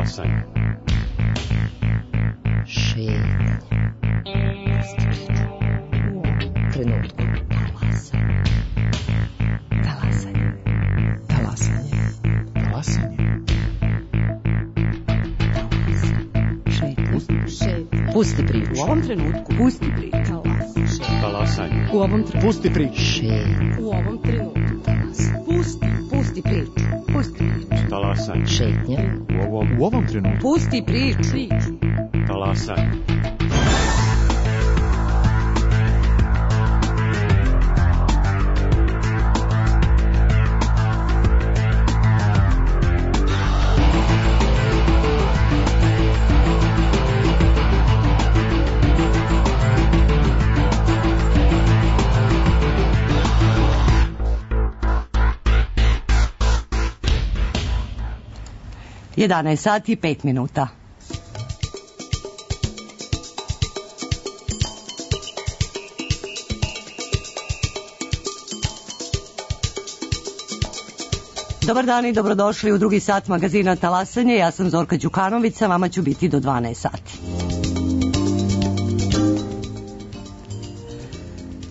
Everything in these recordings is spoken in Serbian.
Talasanje. Šetnje. U ovom trenutku. Talasanje. Talasanje. Talasanje. Šetnje. Pusti priču. U ovom trenutku. Pusti priču. Talasanje. U ovom trenutku. Pusti priču. Šetnje. U ovom trenutku. Pusti priču. Pusti priču. Talasanje. Šetnje. U ovom trenutku. Pusti priču. Talasanje. Jedanaest sati i 5 minuta. Dobar dan i dobrodošli u drugi sat magazina Talasanje. Ja sam Zorka Đukanović, a vama ću biti do 12 sati.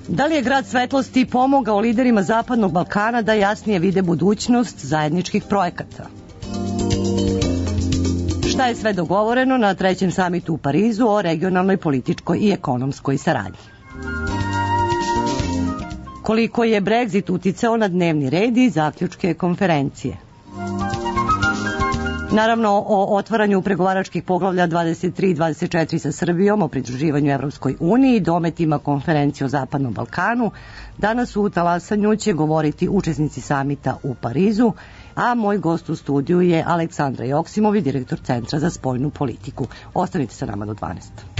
Da li je Grad svetlosti pomogao liderima Zapadnog Balkana da jasnije vide budućnost zajedničkih projekata? Šta je sve dogovoreno na trećem samitu u Parizu o regionalnoj, političkoj i ekonomskoj saradnji? Koliko je Brexit uticao na dnevni red i zaključke konferencije? Naravno, o otvaranju pregovaračkih poglavlja 23 i 24 sa Srbijom, o pridruživanju Evropskoj uniji i dometima konferencije o Zapadnom Balkanu. Danas u Talasanju će govoriti učesnici samita u Parizu, a moj gost u studiju je Aleksandra Joksimović, direktor Centra za spoljnu politiku. Ostanite sa nama do 12.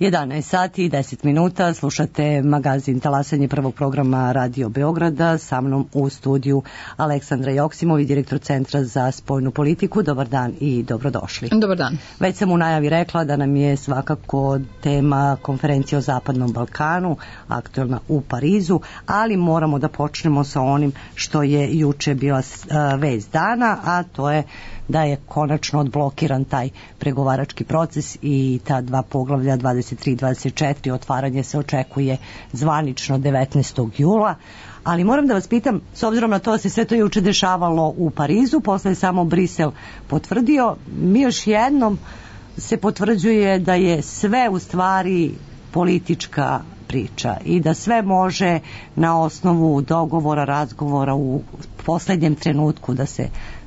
11 sati i 10 minuta, slušate magazin Talasanje prvog programa Radio Beograda, sa mnom u studiju Aleksandra Joksimović, direktor Centra za spoljnu politiku. Dobar dan i dobrodošli. Dobar dan. Već sam u najavi rekla da nam je svakako tema konferencija o Zapadnom Balkanu, aktuelna u Parizu, ali moramo da počnemo sa onim što je juče bila vest dana, a to je da je konačno odblokiran taj pregovarački proces i ta dva poglavlja 23 i 24, otvaranje se očekuje zvanično 19. jula. Ali moram da vas pitam, s obzirom na to da se sve to juče dešavalo u Parizu, posle je samo Brisel potvrdio, mi još jednom se potvrđuje da je sve u stvari politička priča i da sve može na osnovu dogovora, razgovora u poslednjem trenutku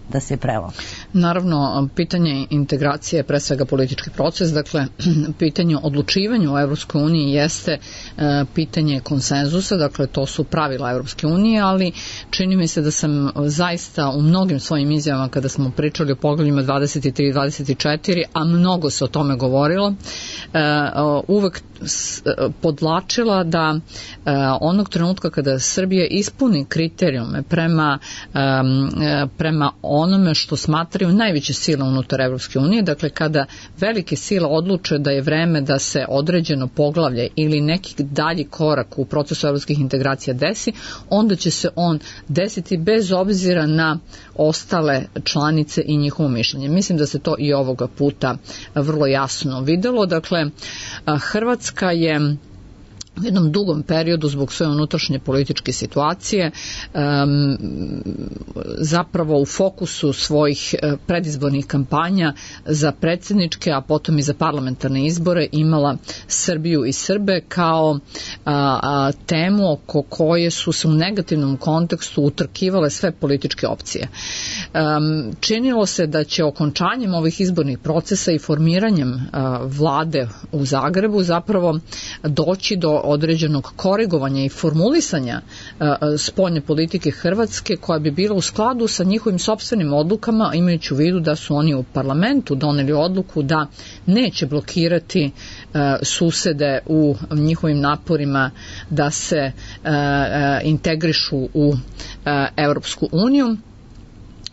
da se prelomi. Naravno, pitanje integracije je pre svega politički proces, dakle, pitanje odlučivanja u Evropskoj uniji jeste pitanje konsenzusa, dakle, to su pravila Evropske unije, ali čini mi se da sam zaista u mnogim svojim izjavama kada smo pričali o poglavljima 23 i 24, a mnogo se o tome govorilo, uvek podlačila da onog trenutka kada Srbija ispuni kriterijume prema onome što smatraju najveće sile unutar Evropske unije, dakle kada velike sile odluče da je vreme da se određeno poglavlje ili neki dalji korak u procesu evropskih integracija desi, onda će se on desiti bez obzira na ostale članice i njihovo mišljenje. Mislim da se to i ovoga puta vrlo jasno videlo. Dakle, Hrvatska je u jednom dugom periodu zbog svoje unutrašnje političke situacije zapravo u fokusu svojih predizbornih kampanja za predsjedničke, a potom i za parlamentarne izbore imala Srbiju i Srbe kao temu oko koje su se u negativnom kontekstu utrkivale sve političke opcije. Činilo se da će okončanjem ovih izbornih procesa i formiranjem vlade u Zagrebu zapravo doći do određenog korigovanja i formulisanja spoljne politike Hrvatske koja bi bila u skladu sa njihovim sopstvenim odlukama, imajući u vidu da su oni u parlamentu doneli odluku da neće blokirati susede u njihovim naporima da se integrišu u Evropsku uniju.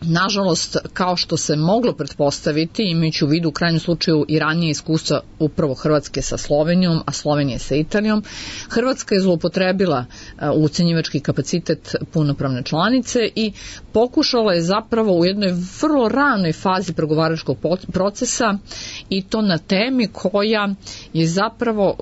Nažalost, kao što se moglo pretpostaviti, imajući u vidu u krajnjem slučaju i ranije iskustva upravo Hrvatske sa Slovenijom, a Slovenije sa Italijom, Hrvatska je zloupotrebila ucenjivački kapacitet punopravne članice i pokušala je zapravo u jednoj vrlo ranoj fazi pregovaračkog procesa i to na temi koja je zapravo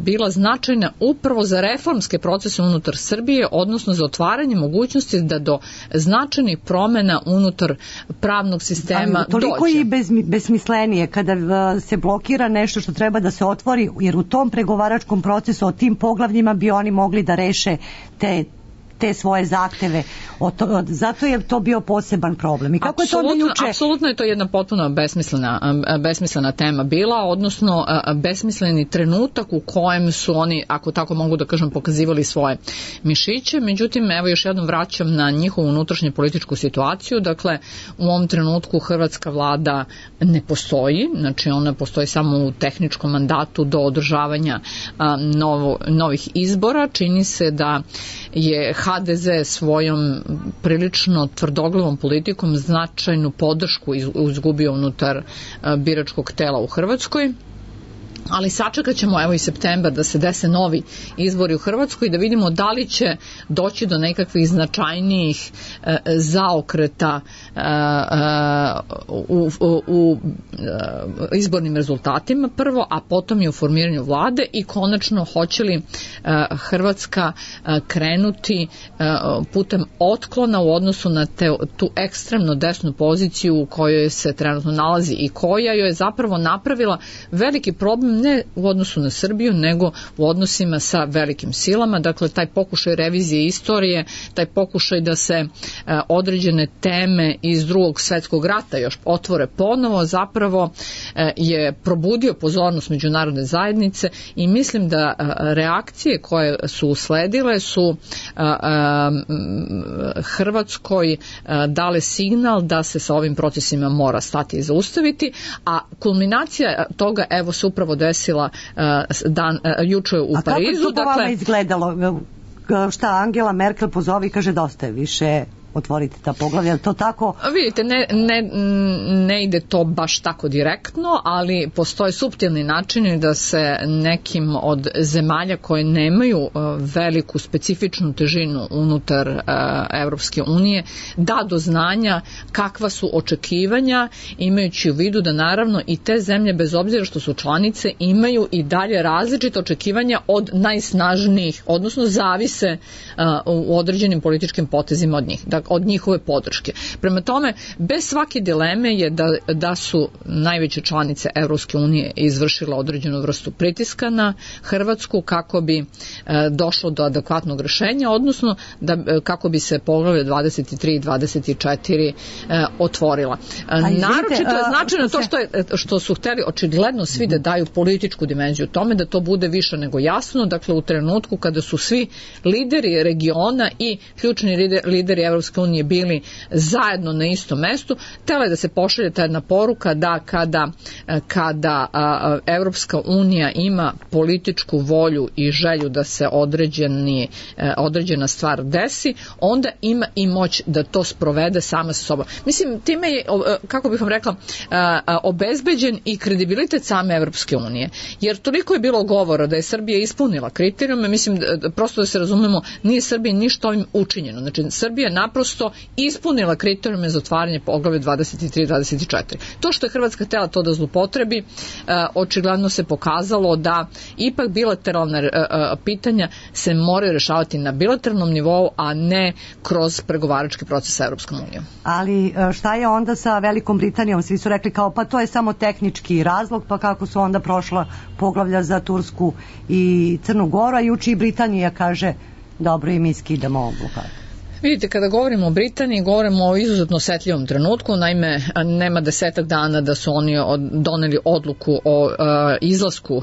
bila značajna upravo za reformske procese unutar Srbije, odnosno za otvaranje mogućnosti da do značajnih promjena unutar pravnog sistema dođe. Toliko i besmislenije kada se blokira nešto što treba da se otvori, jer u tom pregovaračkom procesu o tim poglavljima bi oni mogli da reše te svoje zahteve. Zato je to bio poseban problem. I kako je to onda juče? Apsolutno je to jedna potpuno besmislena tema bila, odnosno besmisleni trenutak u kojem su oni, ako tako mogu da kažem, pokazivali svoje mišiće. Međutim, evo još jednom vraćam na njihovu unutrašnju političku situaciju. Dakle, u ovom trenutku hrvatska vlada ne postoji, znači ona postoji samo u tehničkom mandatu do održavanja novih izbora. Čini se da je HDZ svojom prilično tvrdoglavom politikom značajnu podršku izgubio unutar biračkog tela u Hrvatskoj. Ali sačekat ćemo evo i septembar da se dese novi izbori u Hrvatskoj i da vidimo da li će doći do nekakvih značajnijih zaokreta u izbornim rezultatima prvo, a potom i u formiranju vlade i konačno hoće li Hrvatska krenuti putem otklona u odnosu na tu ekstremno desnu poziciju u kojoj se trenutno nalazi i koja joj je zapravo napravila veliki problem ne u odnosu na Srbiju, nego u odnosima sa velikim silama. Dakle, taj pokušaj revizije istorije, taj pokušaj da se određene teme iz Drugog svjetskog rata još otvore ponovo, zapravo je probudio pozornost međunarodne zajednice i mislim da reakcije koje su usledile su Hrvatskoj dale signal da se sa ovim procesima mora stati i zaustaviti, a kulminacija toga evo se upravo desila juče u Parizu. A kako je to po vama izgledalo? Šta Angela Merkel pozove i kaže dosta je više otvoriti ta poglavlja, to tako? Vidite, ne ide to baš tako direktno, ali postoje suptilni načini da se nekim od zemalja koje nemaju veliku specifičnu težinu unutar Evropske unije da do znanja kakva su očekivanja, imajući u vidu da naravno i te zemlje, bez obzira što su članice, imaju i dalje različite očekivanja od najsnažnijih, odnosno zavise u određenim političkim potezima od njih, od njihove podrške. Prema tome, bez svake dileme je da su najveće članice Evropske unije izvršile određenu vrstu pritiska na Hrvatsku kako bi došlo do adekvatnog rešenja, odnosno kako bi se poglavlje 23 i 24 otvorila. Naročito je značajno to što su hteli očigledno svi da daju političku dimenziju tome, da to bude više nego jasno, dakle u trenutku kada su svi lideri regiona i ključni lideri Evropske unije bili zajedno na istom mestu, htela je da se pošalje ta jedna poruka da kada Evropska unija ima političku volju i želju da se određena stvar desi, onda ima i moć da to sprovede sama sa sobom. Mislim, time je, kako bih vam rekla, obezbeđen i kredibilitet same Evropske unije, jer toliko je bilo govora da je Srbija ispunila kriterijume, mislim, prosto da se razumemo, nije Srbiji ništa ovim učinjeno. Znači, Srbija je naprosto ispunila kriterijume za otvaranje poglavlja 23 i 24. To što je Hrvatska htjela to da zlupotrebi, očigledno se pokazalo da ipak bilateralna pitanja se moraju rešavati na bilateralnom nivou, a ne kroz pregovarački proces sa Evropskom unijom. Ali šta je onda sa Velikom Britanijom? Svi su rekli kao pa to je samo tehnički razlog, pa kako su onda prošla poglavlja za Tursku i Crnu Goru, a juče i Britanija kaže dobro i mi skidamo blokadu. Vidite, kada govorimo o Britaniji, govorimo o izuzetno osetljivom trenutku, naime, nema 10 dana da su oni doneli odluku o izlasku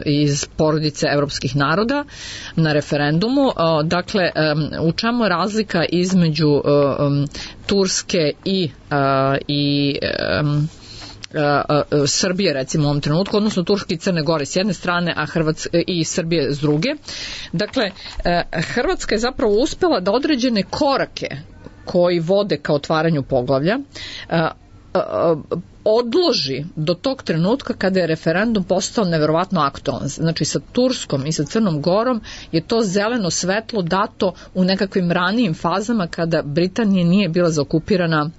iz porodice evropskih naroda na referendumu. Dakle, u čemu je razlika između Turske i Srbije recimo u ovom trenutku, odnosno Turske i Crne Gore s jedne strane, a i Srbije s druge. Dakle, Hrvatska je zapravo uspela da određene korake koji vode ka otvaranju poglavlja odloži do tog trenutka kada je referendum postao neverovatno aktualan. Znači sa Turskom i sa Crnom Gorom je to zeleno svetlo dato u nekakvim ranijim fazama kada Britanija nije bila zaokupirana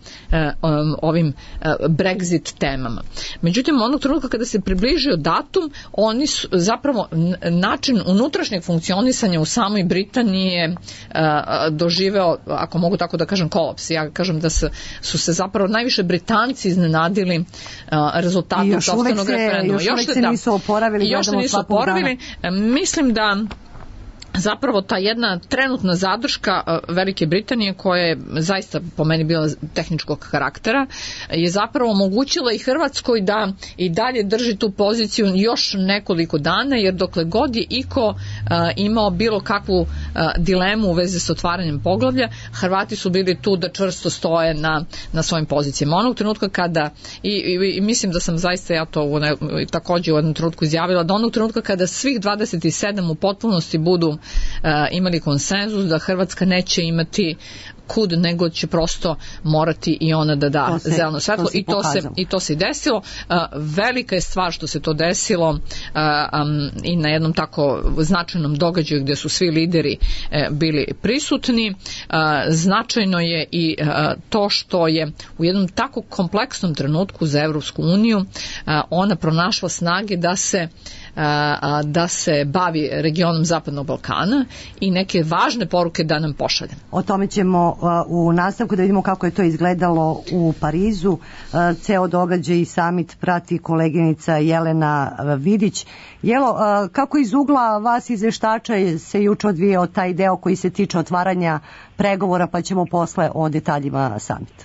ovim Brexit temama. Međutim, onog trenutka kada se približio datum, oni su zapravo način unutrašnjeg funkcionisanja u samoj Britaniji je doživeo, ako mogu tako da kažem, kolaps. Ja kažem da su se zapravo najviše Britanci iznenadili rezultatom sopstvenog referenduma. Još se nisu oporavili. Još se nisu oporavili. Mislim da zapravo ta jedna trenutna zadrška Velike Britanije, koja je zaista po meni bila tehničkog karaktera, je zapravo omogućila i Hrvatskoj da i dalje drži tu poziciju još nekoliko dana, jer dokle god je iko imao bilo kakvu dilemu u vezi s otvaranjem poglavlja, Hrvati su bili tu da čvrsto stoje na svojim pozicijama. Onog trenutka kada, i mislim da sam zaista ja to također u jednom trenutku izjavila, da onog trenutka kada svih 27 u potpunosti budu imali konsenzus da Hrvatska neće imati kud, nego će prosto morati i ona da da zeleno svetlo, i to se i desilo. Velika je stvar što se to desilo i na jednom tako značajnom događaju gdje su svi lideri bili prisutni. Značajno je i to što je u jednom tako kompleksnom trenutku za Evropsku uniju ona pronašla snage da se bavi regionom Zapadnog Balkana i neke važne poruke da nam pošalje. O tome ćemo u nastavku da vidimo kako je to izgledalo u Parizu. Ceo događaj i samit prati koleginica Jelena Vidić. Jelo, kako iz ugla vas izveštača se juče odvijao taj deo koji se tiče otvaranja pregovora, pa ćemo posle o detaljima samita?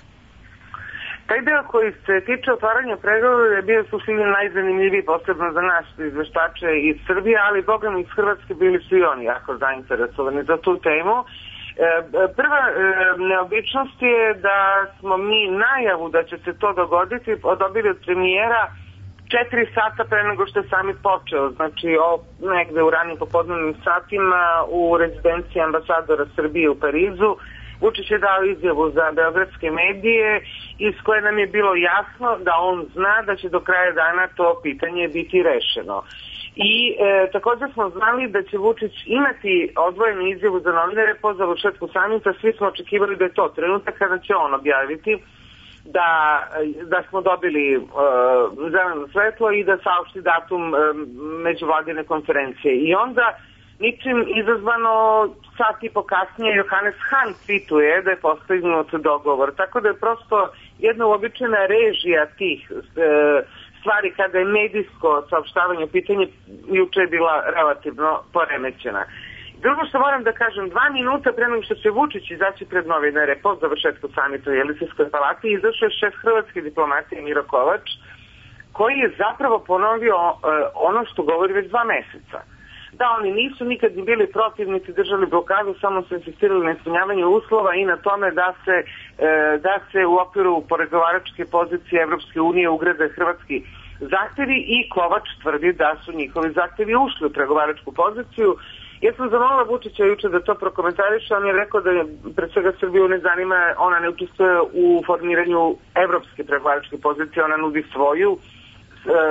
Taj deo koji se tiče otvaranja pregovora je bio suštinski najzanimljiviji, posebno za nas izveštače iz Srbije, ali bogam iz Hrvatske bili su i oni jako zainteresovani za tu temu. Prva neobičnost je da smo mi najavu da će se to dogoditi dobili od premijera 4 sata pre nego što je samit počeo, znači negde u ranim popodnevnim satima u rezidenciji ambasadora Srbije u Parizu, Vučić je dao izjavu za beogradske medije iz koje nam je bilo jasno da on zna da će do kraja dana to pitanje biti rešeno. I također smo znali da će Vučić imati odvojenu izjavu za novinare po završetku samita. Svi smo očekivali da je to trenutak kada će on objaviti da smo dobili zeleno svetlo i da saopšti datum međuvladine konferencije. I onda ničim izazvano sat i po kasnije Johannes Hahn tweetuje da je postignut dogovor. Tako da je prosto jedna uobičajena režija tih stvari kada je medijsko saopštavanje pitanje juče je bila relativno poremećena. Drugo što moram da kažem, 2 minuta pre nego što će Vučić izaći pred novinare po završetku samita u Jelisejskoj palati, izašao je šef hrvatske diplomatije Miro Kovač, koji je zapravo ponovio ono što govori već 2 meseca. Da, oni nisu nikad ni bili protiv, niti držali blokadu, samo su insistirali na ispunjavanju uslova i na tome da se u okviru pregovaračke pozicije Evropske unije ugrade hrvatski zahtevi i Kovač tvrdi da su njihovi zahtevi ušli u pregovaračku poziciju. Ja sam zamolila Vučića juče da to prokomentariše, on je rekao da je pred svega Srbiju ne zanima, ona ne učestvuje u formiranju evropske pregovaračke pozicije, ona nudi svoju.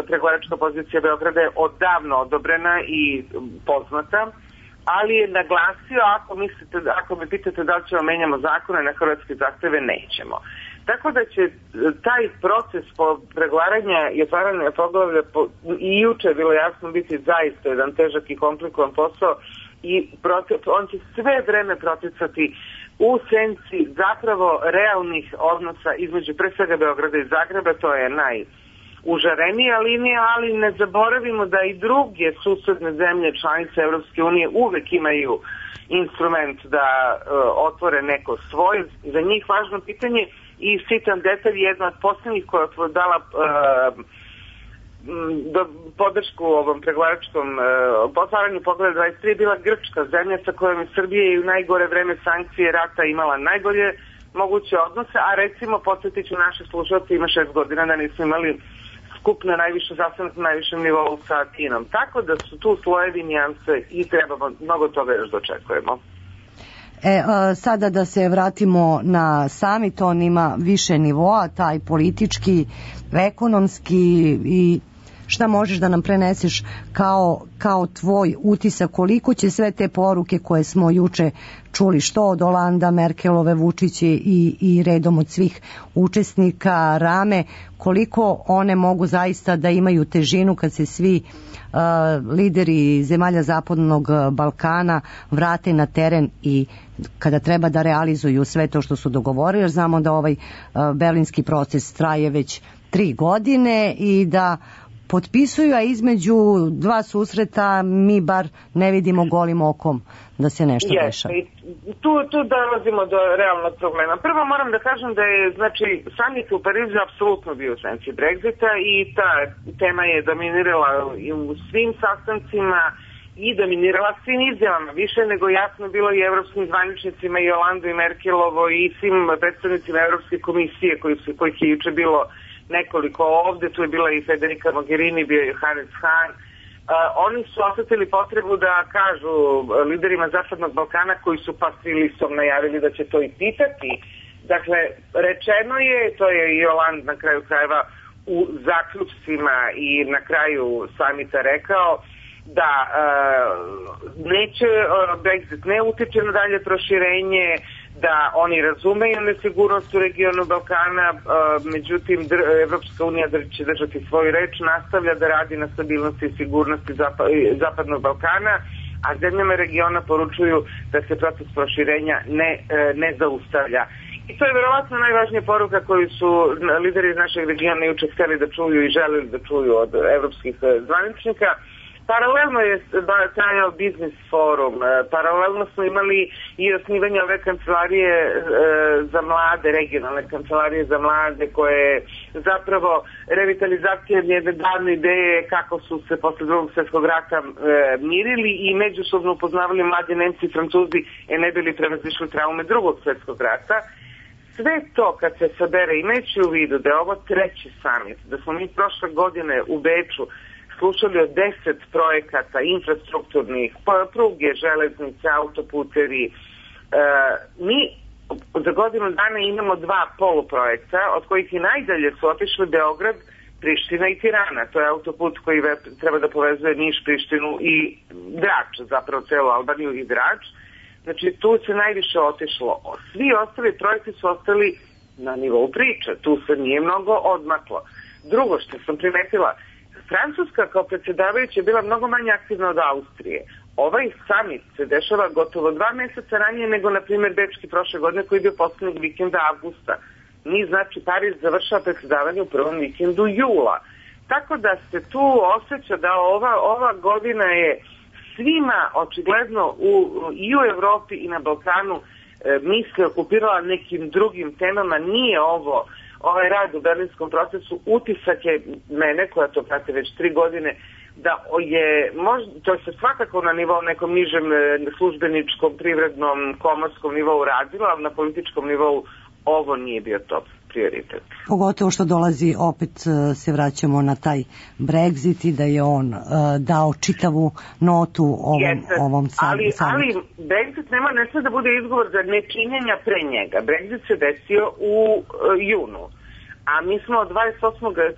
Pregovaračka pozicija Beograda je odavno odobrena i poznata, ali je naglasio, ako me pitate da li ćemo menjamo zakone na hrvatske zahteve, nećemo. Tako da će taj proces pregovaranja i otvaranja poglavlja i juče je bilo jasno biti zaista jedan težak i komplikovan posao i on će sve vreme proticati u senci zapravo realnih odnosa između pre svega Beograda i Zagreba, to je najužarenija linija, ali ne zaboravimo da i druge susedne zemlje članice Evropske unije uvek imaju instrument da otvore neko svoj, za njih važno pitanje. I sitan detalj, jedna od posljednjih koja je dala podršku ovom pregovaračkom otvaranju poglavlja 23 bila Grčka, zemlja sa kojom je Srbija i u najgore vreme sankcije rata imala najbolje moguće odnose, a recimo podsjetiću naše slušalce, ima 6 godina da nismo imali skup na sastanak na najvišem nivou sa Kinom. Tako da su tu slojevi nijanse i trebamo mnogo toga još dočekujemo. Sada da se vratimo na samit, on ima više nivoa, taj politički, ekonomski, i šta možeš da nam preneseš kao tvoj utisak, koliko će sve te poruke koje smo juče čuli, što od Olanda, Merkelove, Vučića i redom od svih učesnika Rame, koliko one mogu zaista da imaju težinu kad se svi lideri zemalja Zapadnog Balkana vrate na teren i kada treba da realizuju sve to što su dogovorili, jer znamo da ovaj berlinski proces traje već 3 godine i da potpisuju, a između 2 susreta mi bar ne vidimo golim okom da se nešto dešava. Tu dolazimo do realnog problema. Prvo moram da kažem da je, samit u Parizu apsolutno bio u senci Brexita i ta tema je dominirala u svim sastancima i dominirala svim izjavama. Više nego jasno bilo i evropskim zvaničnicima i Olandu i Merkelovo i svim predstavnicima Evropske komisije kojih je juče bilo nekoliko ovde, tu je bila i Federica Mogherini, bio je Johannes Hahn. Oni su osetili potrebu da kažu liderima Zapadnog Balkana koji su pasivlistom najavili da će to i pitati. Dakle, rečeno je, to je i Oland na kraju krajeva u zaključcima i na kraju samita rekao da neće Brexit ne utiče na dalje proširenje, da oni razumeju nesigurnost u regionu Balkana, međutim Evropska unija će držati svoju reč, nastavlja da radi na stabilnosti i sigurnosti Zapadnog Balkana, a zemljama regiona poručuju da se proces proširenja ne zaustavlja. I to je verovatno najvažnija poruka koju su lideri iz našeg regiona juče hteli da čuju i želeli da čuju od evropskih zvaničnika. Paralelno je trajao biznis forum, paralelno smo imali i osnivanje ove kancelarije za mlade, regionalne kancelarije za mlade, koje je zapravo revitalizacija jedne davne ideje kako su se posle Drugog svjetskog rata mirili i međusobno upoznavali mladi Nemci i Francuzi ne bili prevazišli traume Drugog svjetskog rata. Sve to kad se sabere, imajući u vidu da je ovo 3. samit, da smo mi prošle godine u Beču slušali o 10 projekata infrastrukturnih, pruge, železnice, autoputevi, mi za godinu dana imamo 2 poluprojekta, od kojih i najdalje su otišli Beograd, Priština i Tirana. To je autoput koji treba da povezuje Niš, Prištinu i Drač, zapravo celu Albaniju i Drač. Znači tu se najviše otišlo. Svi ostali projekti su ostali na nivou priče. Tu se nije mnogo odmaklo. Drugo što sam primetila, Francuska kao predsjedavajuća je bila mnogo manje aktivna od Austrije. Ovaj summit se dešava gotovo 2 meseca ranije nego, na primjer, Bečki prošle godine koji je bio poslednjeg vikenda avgusta. Mi, znači, Pariz završava predsjedavanje u prvom vikendu jula. Tako da se tu osjeća da ova godina je svima očigledno i u Evropi i na Balkanu misle okupirala nekim drugim temama. Nije ovaj rad u berlinskom procesu, utisak je mene, koja to prate već 3 godine, da je, to se svakako na nivou nekom nižem službeničkom, privrednom, komorskom nivou radilo, ali na političkom nivou ovo nije bio top prioritet. Pogotovo što dolazi, opet se vraćamo na taj Brexit i da je on dao čitavu notu ovom samitu. Ali Brexit ne sme da bude izgovor za nečinjenja pre njega. Brexit se desio u junu. A mi smo od 28.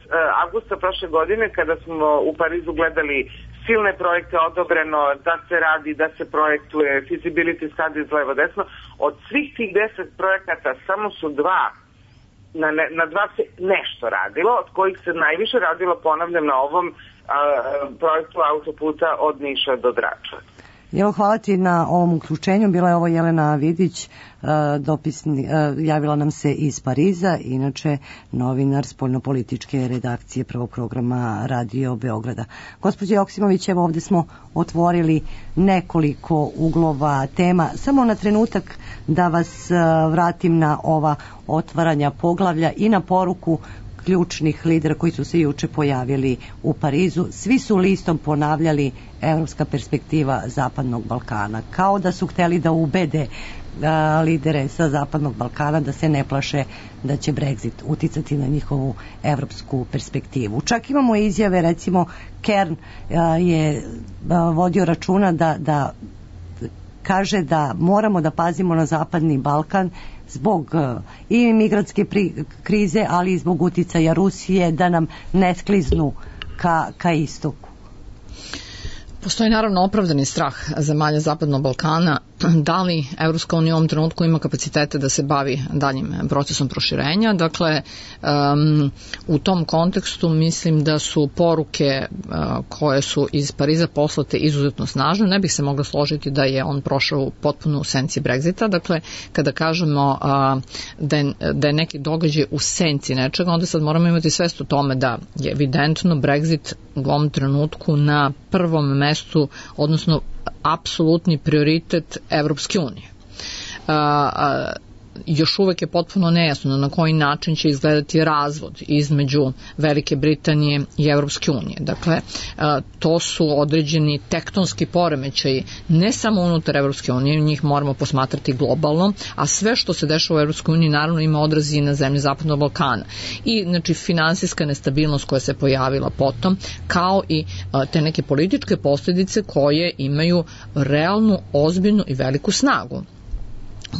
avgusta prošle godine, kada smo u Parizu gledali silne projekte, odobreno da se radi, da se projektuje, feasibility studies levo desno, od svih tih 10 projekata samo su 2, na 2 se nešto radilo, od kojih se najviše radilo, ponavljam, na ovom projektu autoputa od Niša do Drača. Evo, hvala ti na ovom uključenju. Bila je ovo Jelena Vidić, javila nam se iz Pariza, inače novinar spoljnopolitičke redakcije Prvog programa Radio Beograda. Gospođo Joksimović, evo ovde smo otvorili nekoliko uglova tema. Samo na trenutak da vas vratim na ova otvaranja poglavlja i na poruku ključnih lidera koji su se juče pojavili u Parizu. Svi su listom ponavljali evropska perspektiva Zapadnog Balkana. Kao da su hteli da ubede lidere sa Zapadnog Balkana da se ne plaše da će Brexit uticati na njihovu evropsku perspektivu. Čak imamo izjave, recimo Kern je vodio računa da kaže da moramo da pazimo na Zapadni Balkan zbog i migrantske krize, ali i zbog uticaja Rusije, da nam ne skliznu ka istoku. Postoji naravno opravdani strah zemalja Zapadnog Balkana da li Evropska unija u ovom trenutku ima kapacitete da se bavi daljim procesom proširenja. Dakle, u tom kontekstu mislim da su poruke koje su iz Pariza poslate izuzetno snažne. Ne bih se mogla složiti da je on prošao u potpunu senci Brexita. Dakle, kada kažemo da je neki događaj u senci nečega, onda sad moramo imati svest o tome da je evidentno Brexit u ovom trenutku na prvom mestu, odnosno apsolutni prioritet Evropske unije. Još uvek je potpuno nejasno na koji način će izgledati razvod između Velike Britanije i Evropske unije. Dakle, to su određeni tektonski poremećaji, ne samo unutar Evropske unije, njih moramo posmatrati globalno, a sve što se dešava u Evropskoj uniji naravno ima odrazi na zemlje Zapadnog Balkana. I znači finansijska nestabilnost koja se pojavila potom, kao i te neke političke posljedice koje imaju realnu, ozbiljnu i veliku snagu.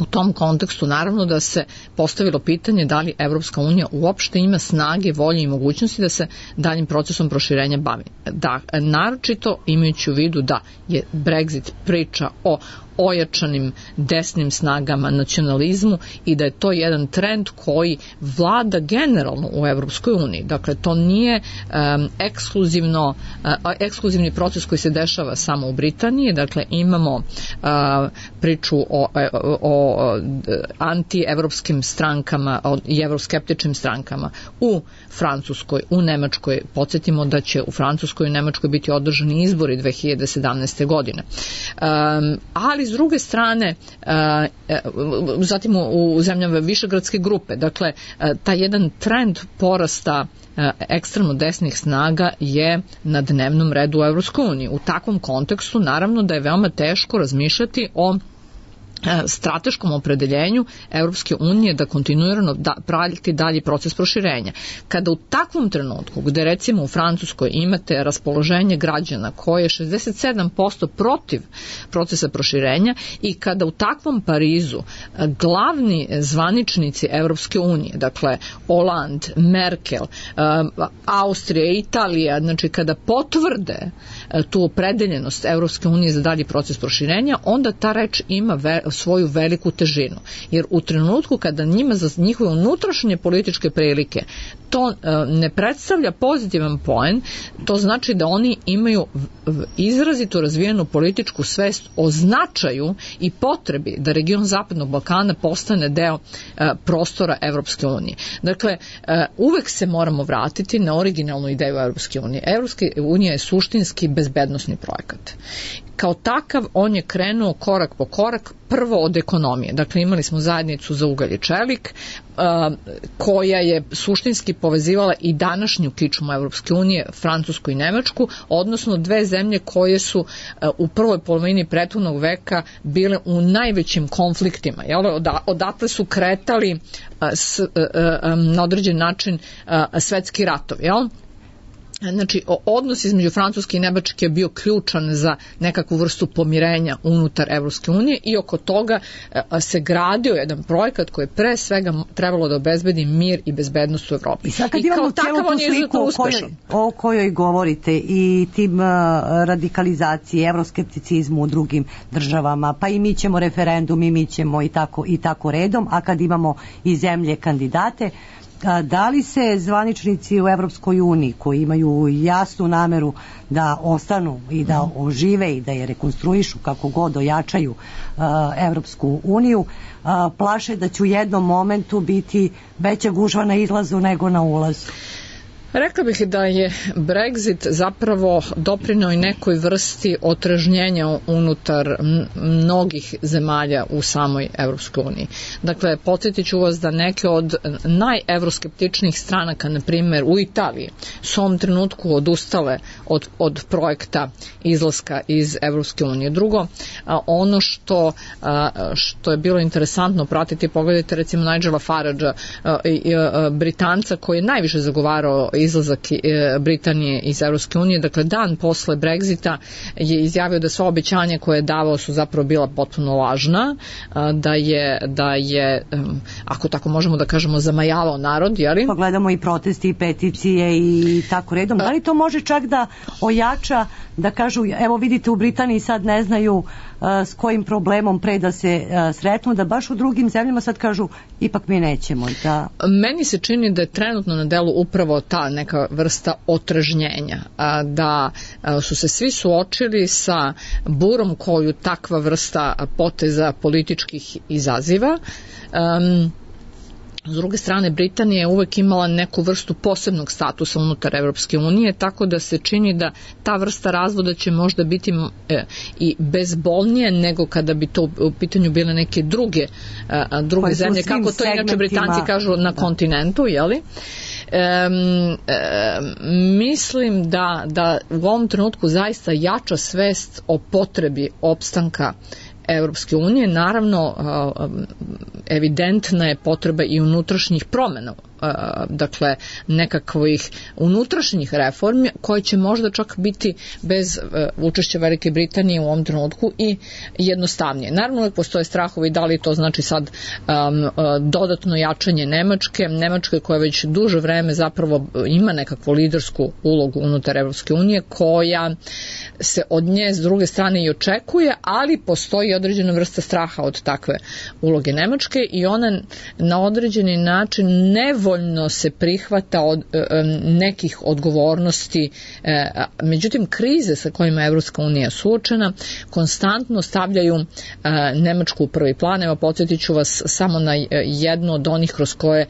U tom kontekstu naravno da se postavilo pitanje da li Evropska unija uopšte ima snage, volje i mogućnosti da se daljim procesom proširenja bavi. Da, naročito imajući u vidu da je Brexit priča o ojačanim desnim snagama, nacionalizmu i da je to jedan trend koji vlada generalno u Evropskoj uniji. Dakle, to nije ekskluzivni proces koji se dešava samo u Britaniji. Dakle, imamo priču o anti-evropskim strankama i evroskeptičnim strankama u Francuskoj, u Nemačkoj. Podsjetimo da će u Francuskoj i Nemačkoj biti održani izbori 2017. godine. Ali s druge strane, zatim u zemljama Višegradske grupe, dakle, taj jedan trend porasta ekstremno desnih snaga je na dnevnom redu u Evropskoj uniji. U takvom kontekstu naravno da je veoma teško razmišljati o strateškom opredeljenju Evropske unije da kontinuirano prati dalji proces proširenja. Kada u takvom trenutku, gde recimo u Francuskoj imate raspoloženje građana koje je 67% protiv procesa proširenja i kada u takvom Parizu glavni zvaničnici Evropske unije, dakle Hollande, Merkel, Austrija, Italija, znači kada potvrde tu opredeljenost Evropske unije za dalji proces proširenja, onda ta reč ima svoju veliku težinu. Jer u trenutku kada njima za njihove unutrašnje političke prilike to ne predstavlja pozitivan poen, to znači da oni imaju izrazito razvijenu političku svest o značaju i potrebi da region Zapadnog Balkana postane deo prostora Evropske unije. Dakle, uvek se moramo vratiti na originalnu ideju Evropske unije. Evropska unija je suštinski bezbednosni projekat. Kao takav on je krenuo korak po korak, prvo od ekonomije. Dakle, imali smo zajednicu za ugalj i čelik, koja je suštinski povezivala i današnju kičmu Evropske unije, Francusku i Nemačku, odnosno dve zemlje koje su u prvoj polovini prethodnog veka bile u najvećim konfliktima. Odatle su kretali na određen način svetski ratovi. Znači, odnos između Francuske i Nemačke je bio ključan za nekakvu vrstu pomirenja unutar Evropske unije i oko toga se gradio jedan projekat koji je pre svega trebalo da obezbedi mir i bezbednost u Evropi. I sad kad imamo cijelu tu sliku o kojoj govorite i tim radikalizaciji, evroskepticizmu u drugim državama, pa i mi ćemo referendum i mi ćemo i tako redom, a kad imamo i zemlje kandidate, da li se zvaničnici u Evropskoj uniji koji imaju jasnu nameru da ostanu i da ožive i da je rekonstruišu kako god ojačaju Evropsku uniju, plaše da će u jednom momentu biti veća gužva na izlazu nego na ulazu? Rekla bih da je Brexit zapravo doprineo i nekoj vrsti otrežnjenja unutar mnogih zemalja u samoj Evropskoj uniji. Dakle, podsjetit ću vas da neke od najevroskeptičnijih stranaka, na primjer u Italiji, su u ovom trenutku odustale od projekta izlaska iz Evropske unije. Drugo, ono što je bilo interesantno pratiti, pogledajte recimo Nigela Faragea, Britanca koji je najviše zagovarao izlazak Britanije iz Evropske unije, dakle dan posle Brexita je izjavio da sva obećanja koje je davao su zapravo bila potpuno lažna, da je ako tako možemo da kažemo, zamajavao narod, jeli? Pogledamo i protesti i peticije i tako redom. Da li to može čak da ojača, da kažu, evo vidite u Britaniji sad ne znaju s kojim problemom pre da se sretnu, da baš u drugim zemljama sad kažu ipak mi nećemo. Meni se čini da je trenutno na delu upravo ta neka vrsta otrežnjenja, da su se svi suočili sa burom koju takva vrsta poteza političkih izaziva. S druge strane, Britanija je uvek imala neku vrstu posebnog statusa unutar Evropske unije, tako da se čini da ta vrsta razvoda će možda biti i bezbolnije nego kada bi to u pitanju bile neke druge zemlje, kako to inače Britanci kažu na kontinentu, jeli? Mislim da u ovom trenutku zaista jača svest o potrebi opstanka Evropske unije. Naravno, evidentna je potreba i unutrašnjih promena, dakle nekakvih unutrašnjih reformi koje će možda čak biti bez učešća Velike Britanije u ovom trenutku i jednostavnije. Naravno, uvijek postoje strahovi da li to znači sad dodatno jačanje Nemačke koja već duže vreme zapravo ima nekakvu lidersku ulogu unutar Evropske unije koja se od nje s druge strane i očekuje, ali postoji određena vrsta straha od takve uloge Nemačke i ona na određeni način nevoljno se prihvata od nekih odgovornosti. Međutim, krize sa kojima je Evropska unija suočena konstantno stavljaju Nemačku u prvi plan. Evo, podsjetit ću vas samo na jedno od onih kroz koje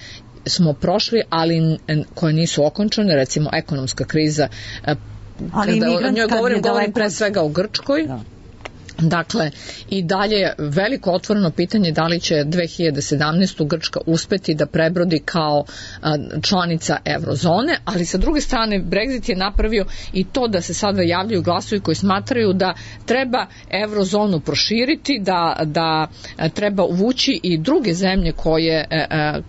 smo prošli, ali koje nisu okončane, recimo ekonomska kriza. Kada o njoj govorim pre svega o Grčkoj. Dakle, i dalje veliko otvoreno pitanje da li će 2017. Grčka uspeti da prebrodi kao članica eurozone, ali sa druge strane Brexit je napravio i to da se sada javljaju glasovi koji smatraju da treba eurozonu proširiti, da treba uvući i druge zemlje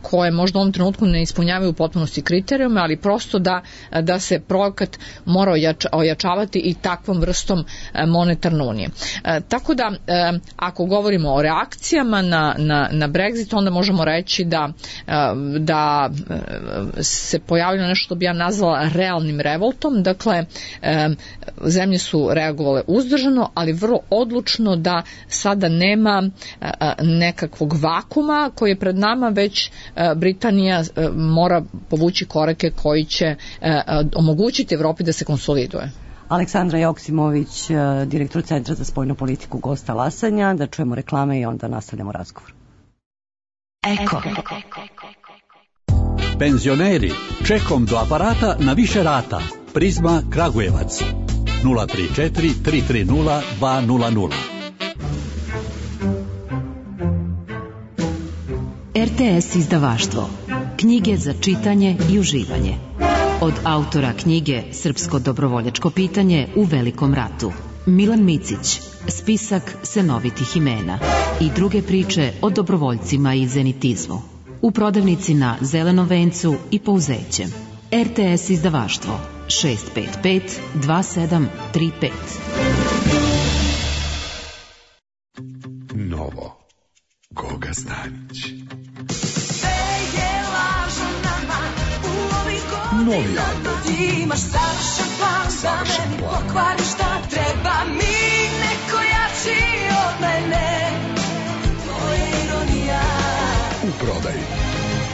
koje možda u ovom trenutku ne ispunjavaju u potpunosti kriterijume, ali prosto da se projekat mora ojačavati i takvom vrstom monetarne unije. Tako da, ako govorimo o reakcijama na Brexit, onda možemo reći da se pojavilo nešto što bi ja nazvala realnim revoltom. Dakle, zemlje su reagovale uzdržano, ali vrlo odlučno da sada nema nekakvog vakuma koji je pred nama, već Britanija mora povući korake koji će omogućiti Evropi da se konsoliduje. Aleksandra Joksimović, direktor Centra za spoljnu politiku, gost Talasanja. Da čujemo reklame i onda nastavljamo razgovor. Eko. Penzioneri, čekom do aparata na više rata. Prizma Kragujevac 034 330 200. RTS izdavaštvo. Knjige za čitanje i uživanje. Od autora knjige Srpsko dobrovoljačko pitanje u Velikom ratu, Milan Micić, spisak senovitih imena i druge priče o dobrovoljcima i zenitizmu. U prodavnici na Zelenom vencu i Pouzećem. RTS izdavaštvo 655 2735. Novo. Goga Stanić. Novi album. Imaš savršen plan da meni pokvari šta treba mi neko jači od mene. To je ironija. U prodaji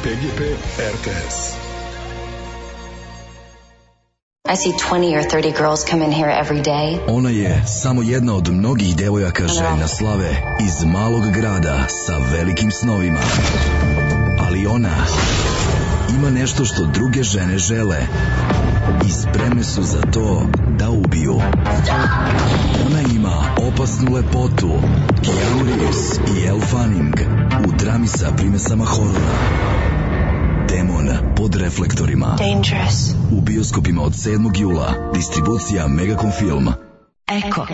PGP RTS. I see 20 or 30 girls come in here every day. Ona je samo jedna od mnogih devojaka željna slave iz malog grada sa velikim snovima. Ali ona ima nešto što druge žene žele i spremne su za to da ubiju. Ona ima opasnu lepotu, Keanu Reeves i Elle Fanning u drami sa primesama horora. Demon pod reflektorima. Dangerous. U bioskopima od 7. jula. Distribucija Megacom Film. Eko.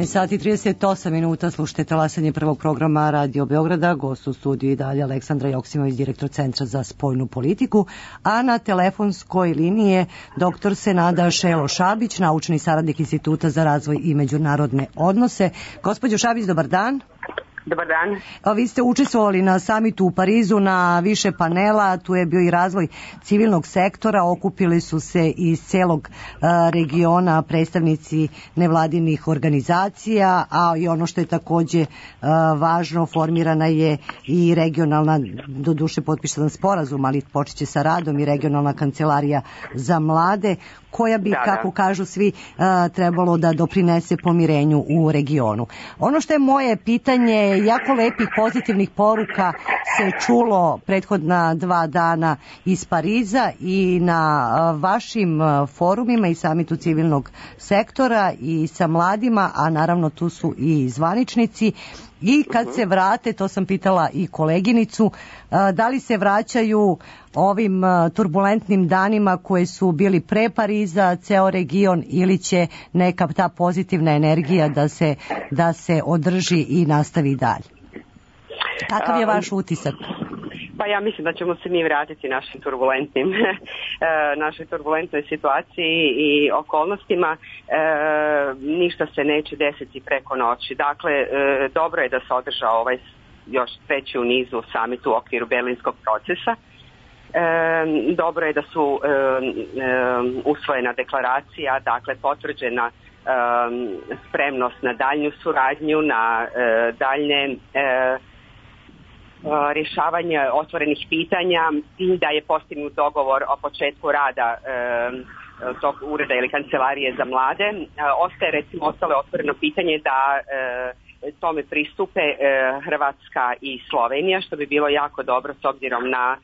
Sat i 38 minuta, slušajte Talasanje prvog programa Radio Beograda, gost u studiju i dalje Aleksandra Joksimović, direktor Centra za spoljnu politiku, a na telefonskoj liniji je dr. Senada Šelo Šabić, naučni saradnik Instituta za razvoj i međunarodne odnose. Gospođo Šabić, dobar dan. Dobar dan. Vi ste učestvovali na samitu u Parizu na više panela, tu je bio i razvoj civilnog sektora, okupili su se iz celog regiona predstavnici nevladinih organizacija, a i ono što je takođe važno, formirana je i regionalna, doduše potpisan sporazum, ali počeće sa radom i regionalna kancelarija za mlade, koja bi, kako kažu svi, trebalo da doprinese pomirenju u regionu. Ono što je moje pitanje, jako lepih pozitivnih poruka se čulo prethodna 2 dana iz Pariza i na vašim forumima i samitu civilnog sektora i sa mladima, a naravno tu su i zvaničnici. I kad se vrate, to sam pitala i koleginicu, da li se vraćaju ovim turbulentnim danima koje su bili pre Pariza, ceo region, ili će neka ta pozitivna energija da se održi i nastavi dalje? Kakav je vaš utisak? Pa ja mislim da ćemo se mi vratiti našoj turbulentnoj situaciji i okolnostima. Ništa se neće desiti preko noći. Dakle, dobro je da se održao ovaj još treći u nizu summit u okviru berlinskog procesa. Dobro je da su usvojena deklaracija, dakle potvrđena spremnost na daljnju suradnju, na daljne rješavanje otvorenih pitanja i da je postignut dogovor o početku rada tog ureda ili kancelarije za mlade. Ostaje recimo ostalo otvoreno pitanje da tome pristupe Hrvatska i Slovenija, što bi bilo jako dobro s obzirom na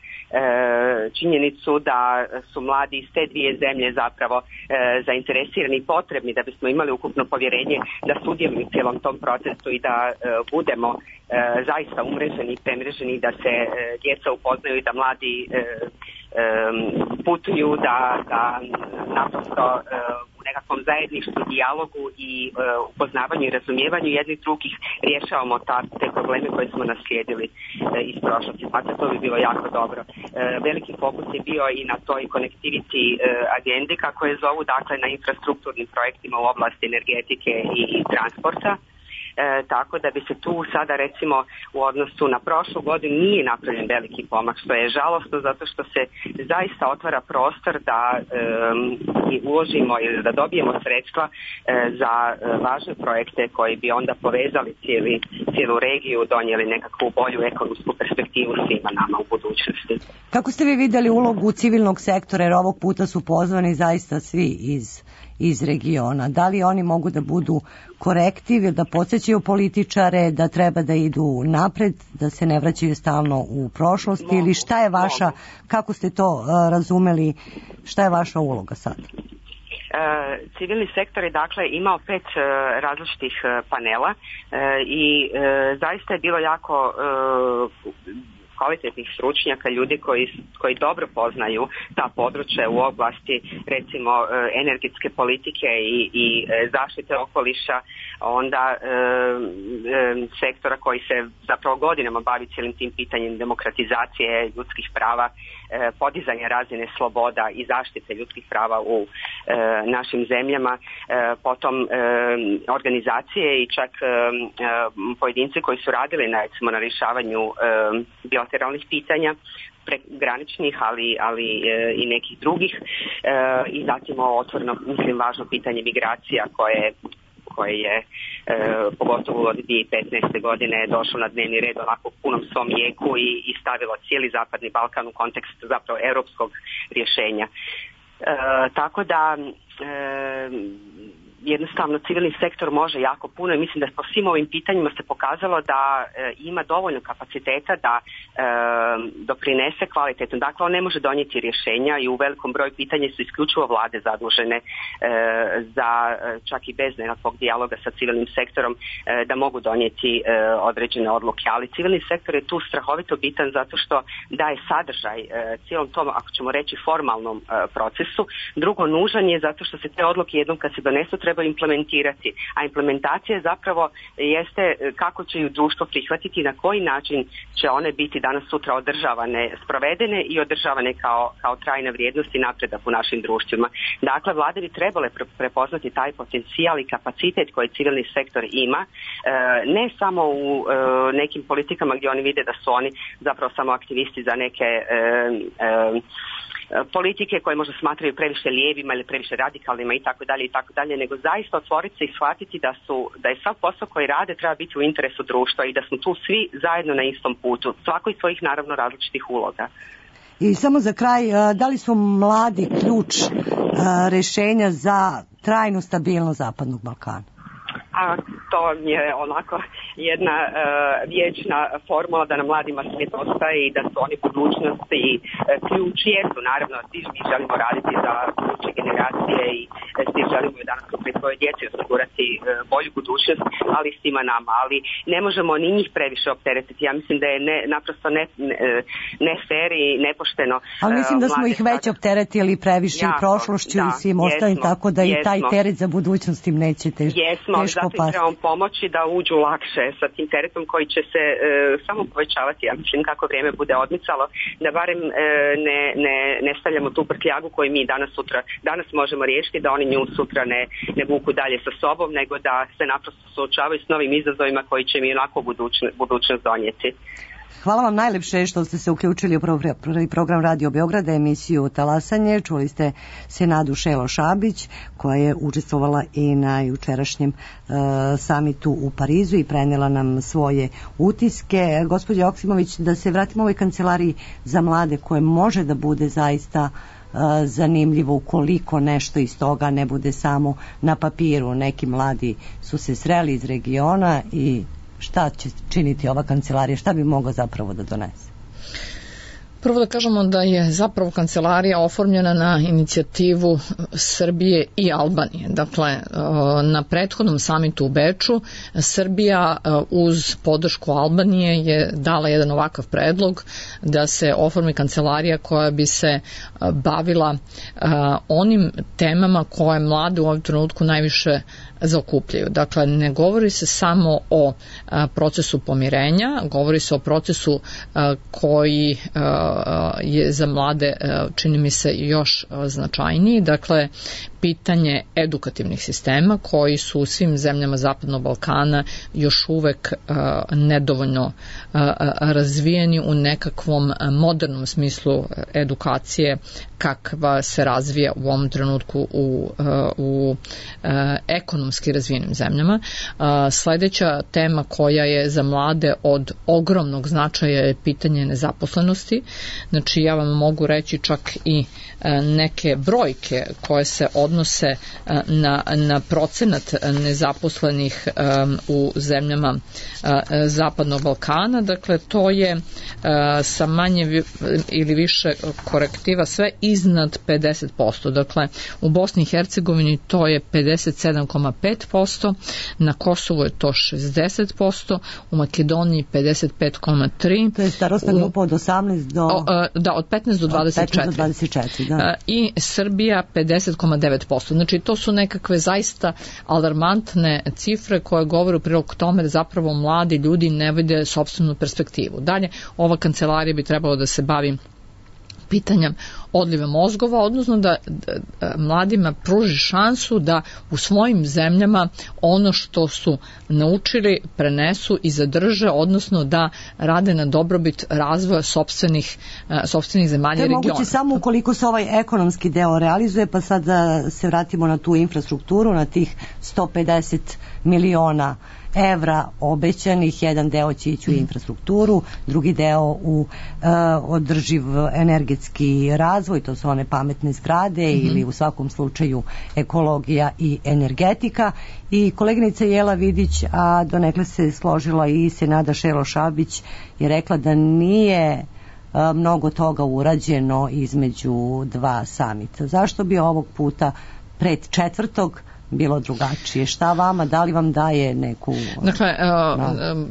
činjenicu da su mladi iz te dvije zemlje zapravo zainteresirani i potrebni da bismo imali ukupno povjerenje da sudjeluju u cijelom tom procesu i da budemo zaista umreženi i premreženi, da se djeca upoznaju i da mladi putuju, da naprosto u nekakvom zajedništvu, dijalogu i upoznavanju i razumijevanju jednih drugih rješavamo te probleme koje smo naslijedili iz prošlosti. Znači, to bi bilo jako dobro. Veliki fokus je bio i na toj connectivity agendi, kako je zovu, dakle na infrastrukturnim projektima u oblasti energetike i transporta. Tako da bi se tu sada recimo u odnosu na prošlu godinu nije napravljen veliki pomak, što je žalostno zato što se zaista otvara prostor da uložimo ili da dobijemo sredstva za važne projekte koji bi onda povezali cijelu regiju, donijeli nekakvu bolju ekonomsku perspektivu svima nama u budućnosti. Kako ste vi vidjeli ulogu civilnog sektora, jer ovog puta su pozvani zaista svi iz regiona? Da li oni mogu da budu korektiv, da podsjećaju političare, da treba da idu napred, da se ne vraćaju stalno u prošlost, ili šta je vaša, kako ste to razumeli, šta je vaša uloga sad? Civilni sektor je dakle imao 5 različitih panela i zaista je bilo jako kvalitetnih stručnjaka, ljudi koji dobro poznaju ta područja u oblasti recimo energetske politike i zaštite okoliša, onda sektora koji se zapravo godinama bavi cijelim tim pitanjem demokratizacije ljudskih prava, podizanja razine sloboda i zaštite ljudskih prava u našim zemljama, potom organizacije i čak pojedinci koji su radili na rješavanju bilateralnih pitanja, graničnih, ali i nekih drugih, i zatim otvoreno, mislim, važno pitanje migracija koje je pogotovo od 2015. godine došlo na dnevni red onako u punom svom jeku i stavilo cijeli Zapadni Balkan u kontekst zapravo europskog rješenja. Tako da jednostavno civilni sektor može jako puno i mislim da po svim ovim pitanjima se pokazalo da ima dovoljno kapaciteta da doprinese kvalitetno. Dakle, on ne može donijeti rješenja i u velikom broju pitanja su isključivo vlade zadužene za čak i bez nekakvog dijaloga sa civilnim sektorom da mogu donijeti određene odluke. Ali civilni sektor je tu strahovito bitan zato što daje sadržaj cijelom tom, ako ćemo reći, formalnom procesu. Drugo, nužan je zato što se te odluke jednom kad se donesu treba implementirati, a implementacija zapravo jeste kako će ju društvo prihvatiti i na koji način će one biti danas sutra održavane, sprovedene i održavane kao trajna vrijednost i napredak u našim društvima. Dakle, vlade bi trebale prepoznati taj potencijal i kapacitet koji civilni sektor ima, ne samo u nekim politikama gdje oni vide da su oni zapravo samo aktivisti za neke politike koje možda smatraju previše lijevima ili previše radikalnima i tako dalje, nego zaista otvoriti se i shvatiti da je sav posao koji rade treba biti u interesu društva i da smo tu svi zajedno na istom putu, svako iz svojih naravno različitih uloga. I samo za kraj, da li su mladi ključ rješenja za trajnu stabilnost Zapadnog Balkana? A to je onako jedna vječna formula da na mladima svijet ostaje i da su oni budućnost i ključ jesu. Naravno, svi mi želimo raditi za buduće generacije i svi želimo i danas pri svojoj djeci osigurati bolju budućnost, ali svima nama. Ali ne možemo ni njih previše opteretiti. Ja mislim da je naprosto ne fair i nepošteno. Ali mislim da smo ih već opteretili previše i prošlošću i svim ostalim, tako da i taj teret za budućnost im neće teško pasti. Zato im trebamo pomoći da uđu lakše sa tim teretom koji će se samo povećavati, ja mislim, kako vrijeme bude odmicalo, da barem ne stavljamo tu prtljagu koju mi danas možemo riješiti, da oni nju sutra ne vuku dalje sa sobom, nego da se naprosto suočavaju s novim izazovima koji će mi onako budućnost donijeti. Hvala vam najlepše što ste se uključili u prvi program Radio Beograda, emisiju Talasanje. Čuli ste Senadu Šelo-Šabić, koja je učestvovala i na jučerašnjem samitu u Parizu i prenela nam svoje utiske. Gospođa Joksimović, da se vratimo ovoj kancelariji za mlade, koje može da bude zaista zanimljivo ukoliko nešto iz toga ne bude samo na papiru. Neki mladi su se sreli iz regiona i šta će činiti ova kancelarija, šta bi mogla zapravo da donese? Prvo da kažemo da je zapravo kancelarija oformljena na inicijativu Srbije i Albanije. Dakle, na prethodnom samitu u Beču Srbija uz podršku Albanije je dala jedan ovakav predlog da se oformi kancelarija koja bi se bavila onim temama koje mlade u ovom trenutku najviše zaokupljaju. Dakle, ne govori se samo o procesu pomirenja, govori se o procesu koji je za mlade, čini mi se, još značajniji. Dakle, pitanje edukativnih sistema koji su u svim zemljama Zapadnog Balkana još uvek nedovoljno razvijeni u nekakvom modernom smislu edukacije kakva se razvija u ovom trenutku u ekonomski razvijenim zemljama. Sledeća tema koja je za mlade od ogromnog značaja je pitanje nezaposlenosti. Znači, ja vam mogu reći čak i neke brojke koje se odnose na procenat nezaposlenih u zemljama Zapadnog Balkana. Dakle, to je sa manje ili više korektiva sve iznad 50%. Dakle, u Bosni i Hercegovini to je 57,5%, na Kosovu je to 60%, u Makedoniji 55,3%. To je starostna grupa od 18 do... Da, od 15 do 24. 15 do 24, da. I Srbija 50,9%. Znači, to su nekakve zaista alarmantne cifre koje govore u prilog tome da zapravo mladi ljudi ne vide sopstvenu perspektivu. Dalje, ova kancelarija bi trebalo da se bavi pitanjem odliva mozgova, odnosno da mladima pruži šansu da u svojim zemljama ono što su naučili prenesu i zadrže, odnosno da rade na dobrobit razvoja sopstvenih zemalja i regiona. To je moguće samo ukoliko se ovaj ekonomski deo realizuje, pa sad da se vratimo na tu infrastrukturu, na tih 150 miliona evra obećanih, jedan deo će ići u infrastrukturu, drugi deo u održiv energetski razvoj, to su one pametne zgrade ili u svakom slučaju ekologija i energetika. I koleginica Jela Vidić, a donekle se složila i Senada Šero-Šabić, je rekla da nije mnogo toga urađeno između dva samita. Zašto bi ovog puta pred četvrtog bilo drugačije? Šta vama, da li vam daje neku... Dakle,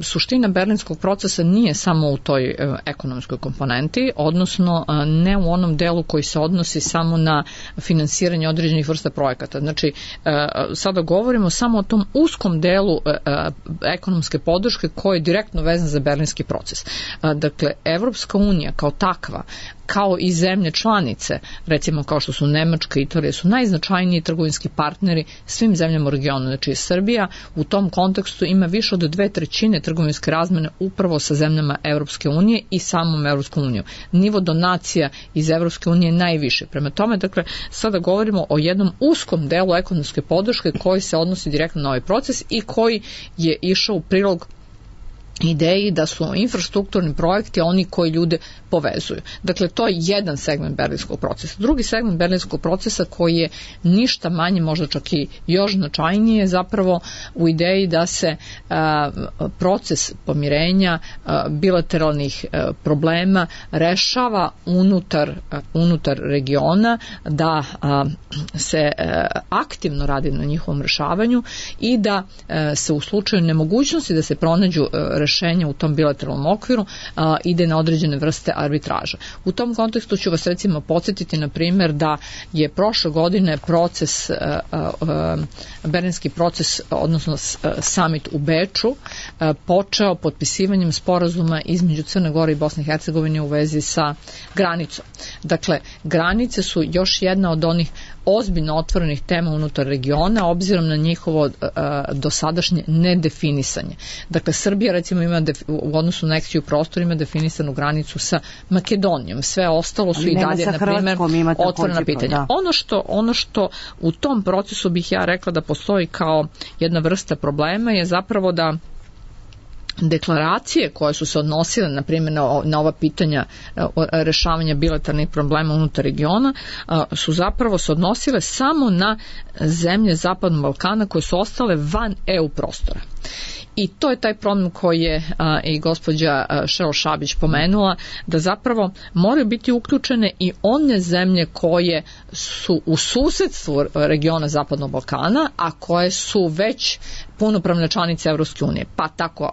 suština berlinskog procesa nije samo u toj ekonomskoj komponenti, odnosno ne u onom delu koji se odnosi samo na finansiranje određenih vrsta projekata. Znači, sada govorimo samo o tom uskom delu ekonomske podrške koji je direktno vezan za berlinski proces. Dakle, Evropska unija kao takva, kao i zemlje članice, recimo kao što su Nemačka i Italija, su najznačajniji trgovinski partneri svim zemljama u regionu. Znači, Srbija u tom kontekstu ima više od 2/3 trgovinske razmene upravo sa zemljama Evropske unije i samom Evropskom unijom. Nivo donacija iz Evropske unije je najviše. Prema tome, dakle, sada govorimo o jednom uskom delu ekonomske podrške koji se odnosi direktno na ovaj proces i koji je išao u prilog ideji da su infrastrukturni projekti oni koji ljude povezuju. Dakle, to je jedan segment berlinskog procesa. Drugi segment berlinskog procesa koji je ništa manje, možda čak i još značajnije, zapravo u ideji da se proces pomirenja bilateralnih problema rešava unutar regiona, da se aktivno radi na njihovom rešavanju i da se u slučaju nemogućnosti da se pronađu rešenja u tom bilateralnom okviru ide na određene vrste arbitraža. U tom kontekstu ću vas recimo podsjetiti na primjer da je prošle godine berlinski proces, odnosno summit u Beču, počeo potpisivanjem sporazuma između Crne Gore i Bosne i Hercegovine u vezi sa granicom. Dakle, granice su još jedna od onih ozbiljno otvorenih tema unutar regiona, obzirom na njihovo dosadašnje nedefinisanje. Dakle, Srbija recimo ima u odnosu na nekciju prostor ima definisanu granicu sa Makedonijom. Sve ostalo su i dalje, na primjer, otvorena pitanja. Da. Ono što u tom procesu bih ja rekla da postoji kao jedna vrsta problema je zapravo da deklaracije koje su se odnosile na primjer na ova pitanja rešavanja bilateralnih problema unutar regiona su zapravo se odnosile samo na zemlje Zapadnog Balkana koje su ostale van EU prostora. I to je taj problem koji je i gospođa Šero Šabić pomenula, da zapravo moraju biti uključene i one zemlje koje su u susedstvu regiona Zapadnog Balkana, a koje su već punopravne članice Evropske unije. Pa tako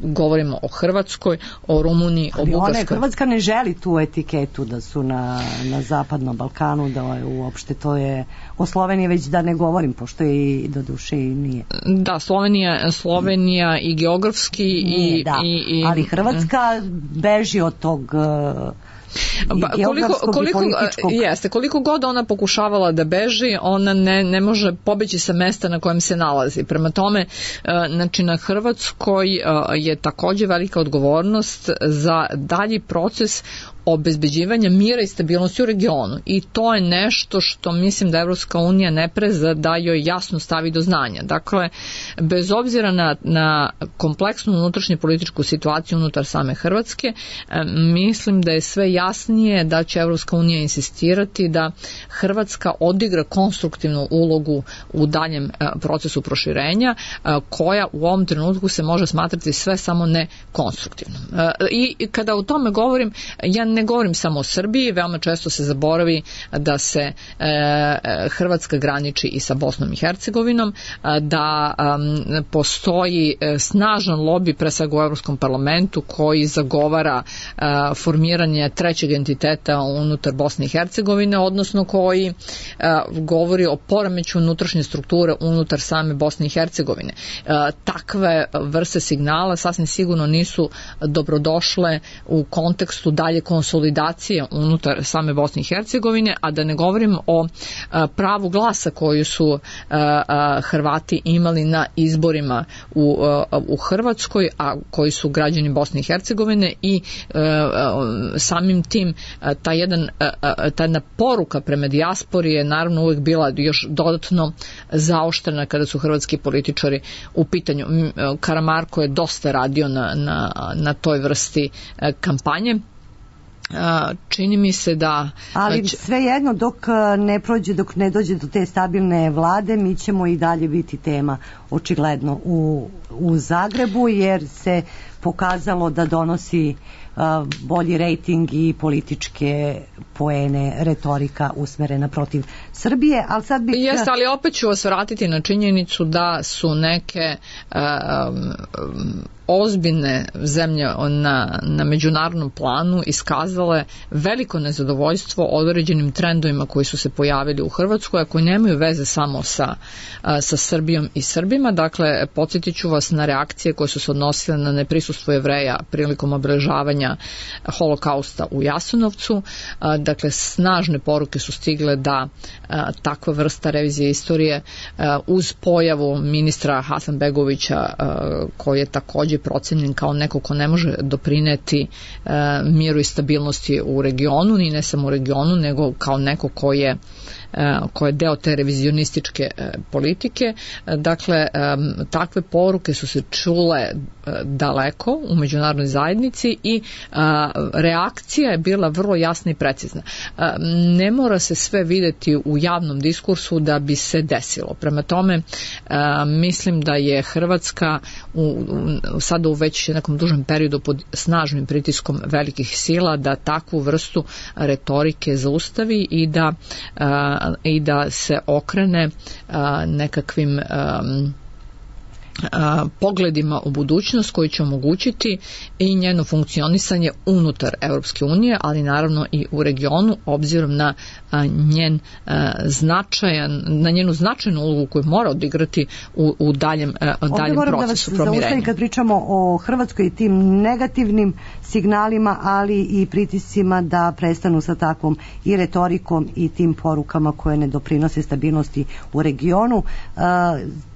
govorimo o Hrvatskoj, o Rumuniji, o Bugarskoj. Hrvatska ne želi tu etiketu da su na Zapadnom Balkanu, da je uopšte to je o Sloveniji već da ne govorim, pošto je i do duše i nije. Da, Slovenija i geografski nije, i ali Hrvatska beži od tog koliko god ona pokušavala da beži, ona ne može pobeći sa mesta na kojem se nalazi. Prema tome, znači na Hrvatskoj je takođe velika odgovornost za dalji proces obezbeđivanja mira i stabilnosti u regionu. I to je nešto što mislim da Evropska unija ne preza da joj jasno stavi do znanja. Dakle, bez obzira na kompleksnu unutrašnju političku situaciju unutar same Hrvatske, mislim da je sve jasnije da će Evropska unija insistirati da Hrvatska odigra konstruktivnu ulogu u daljem procesu proširenja, koja u ovom trenutku se može smatrati sve samo ne konstruktivnom. I kada o tome govorim, ja ne govorim samo o Srbiji, veoma često se zaboravi da se Hrvatska graniči i sa Bosnom i Hercegovinom, da postoji snažan lobi, pre svega u Evropskom parlamentu, koji zagovara formiranje trećeg entiteta unutar Bosne i Hercegovine, odnosno koji govori o poremeću unutrašnje strukture unutar same Bosne i Hercegovine. Takve vrste signala sasvim sigurno nisu dobrodošle u kontekstu dalje konsolidacije unutar same Bosne i Hercegovine, a da ne govorim o pravu glasa koju su Hrvati imali na izborima u Hrvatskoj, a koji su građani Bosne i Hercegovine, i samim tim ta jedna poruka prema dijaspori je naravno uvijek bila još dodatno zaoštrena kada su hrvatski političari u pitanju. Karamarko je dosta radio na toj vrsti kampanje. Čini mi se da... Ali svejedno, dok ne dođe do te stabilne vlade, mi ćemo i dalje biti tema očigledno u Zagrebu, jer se pokazalo da donosi bolji rejting i političke poene, retorika usmerena protiv Srbije, ali sad bih... Jeste, ali opet ću vas vratiti na činjenicu da su neke ozbiljne zemlje na međunarodnom planu iskazale veliko nezadovoljstvo određenim trendovima koji su se pojavili u Hrvatskoj, a koji nemaju veze samo sa Srbijom i Srbima. Dakle, podsjetit ću vas na reakcije koje su se odnosile na neprisustvo Jevreja prilikom obeležavanja Holokausta u Jasenovcu. Dakle, snažne poruke su stigle da takva vrsta revizije istorije uz pojavu ministra Hasanbegovića, koji je takođe procenjen kao neko ko ne može doprineti miru i stabilnosti u regionu, i ne samo u regionu, nego kao neko ko je deo te revizionističke politike. Dakle, takve poruke su se čule daleko u međunarodnoj zajednici i reakcija je bila vrlo jasna i precizna. Ne mora se sve videti u javnom diskursu da bi se desilo. Prema tome, mislim da je Hrvatska sada u već nekom dužem periodu pod snažnim pritiskom velikih sila da takvu vrstu retorike zaustavi i da se okrene nekakvim pogledima u budućnost koji će omogućiti i njeno funkcionisanje unutar Evropske unije, ali naravno i u regionu, obzirom na njenu značajnu ulogu koju mora odigrati u daljem procesu promirenja. Zaustavim kad pričamo o Hrvatskoj i tim negativnim signalima, ali i pritiscima da prestanu sa takvom i retorikom i tim porukama koje ne doprinose stabilnosti u regionu,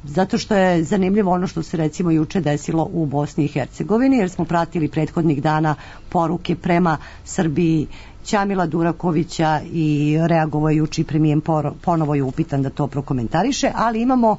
zato što je zanimljivo ono što se recimo juče desilo u Bosni i Hercegovini, jer smo pratili prethodnih dana poruke prema Srbiji Ćamila Durakovića i reagovajući premijer ponovo je upitan da to prokomentariše, ali imamo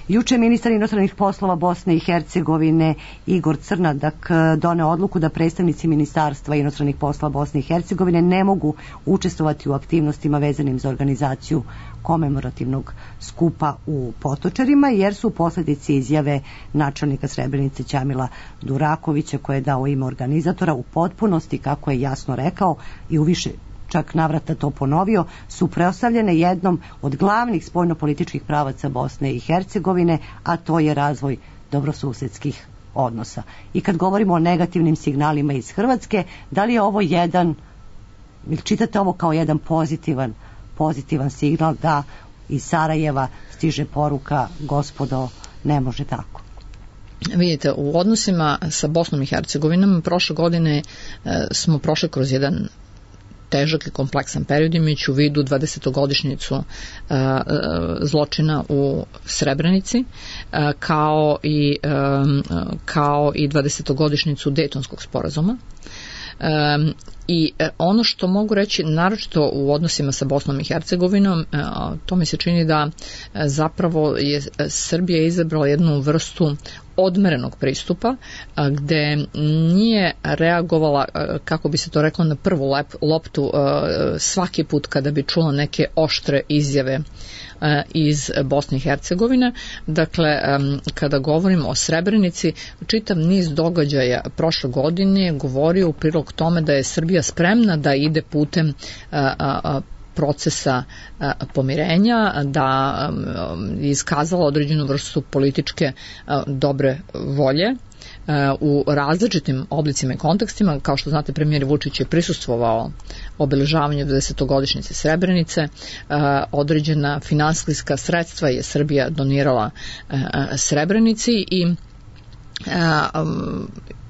juče ministar inostranih poslova Bosne i Hercegovine Igor Crnadak doneo odluku da predstavnici ministarstva inostranih poslova Bosne i Hercegovine ne mogu učestvovati u aktivnostima vezanim za organizaciju komemorativnog skupa u Potočarima, jer su posljedice izjave načelnika Srebrenice Ćamila Durakovića, koje je dao ime organizatora, u potpunosti, kako je jasno rekao i u više čak navrata to ponovio, su preostavljene jednom od glavnih spoljnopolitičkih pravaca Bosne i Hercegovine, a to je razvoj dobrosusedskih odnosa. I kad govorimo o negativnim signalima iz Hrvatske, da li je ovo jedan, ili čitate ovo kao jedan pozitivan signal da iz Sarajeva stiže poruka: gospodo, ne može tako? Vidite, u odnosima sa Bosnom i Hercegovinom prošle godine smo prošli kroz jedan težak i kompleksan period, imajući u vidu 20-godišnjicu zločina u Srebrenici, kao i 20-godišnjicu Dejtonskog sporazuma. I ono što mogu reći, naročito u odnosima sa Bosnom i Hercegovinom, to mi se čini da zapravo je Srbija izabrala jednu vrstu odmerenog pristupa, gde nije reagovala, kako bi se to reklo, na prvu loptu svaki put kada bi čula neke oštre izjave iz Bosne i Hercegovine. Dakle, kada govorimo o Srebrenici, čitav niz događaja prošle godine govorio u prilog tome da je Srbija spremna da ide putem procesa pomirenja, da je iskazala određenu vrstu političke dobre volje u različitim oblicima i kontekstima. Kao što znate, premijer Vučić je prisustvovao obeležavanju 20-godišnjice Srebrenice, određena finansijska sredstva je Srbija donirala Srebrenici i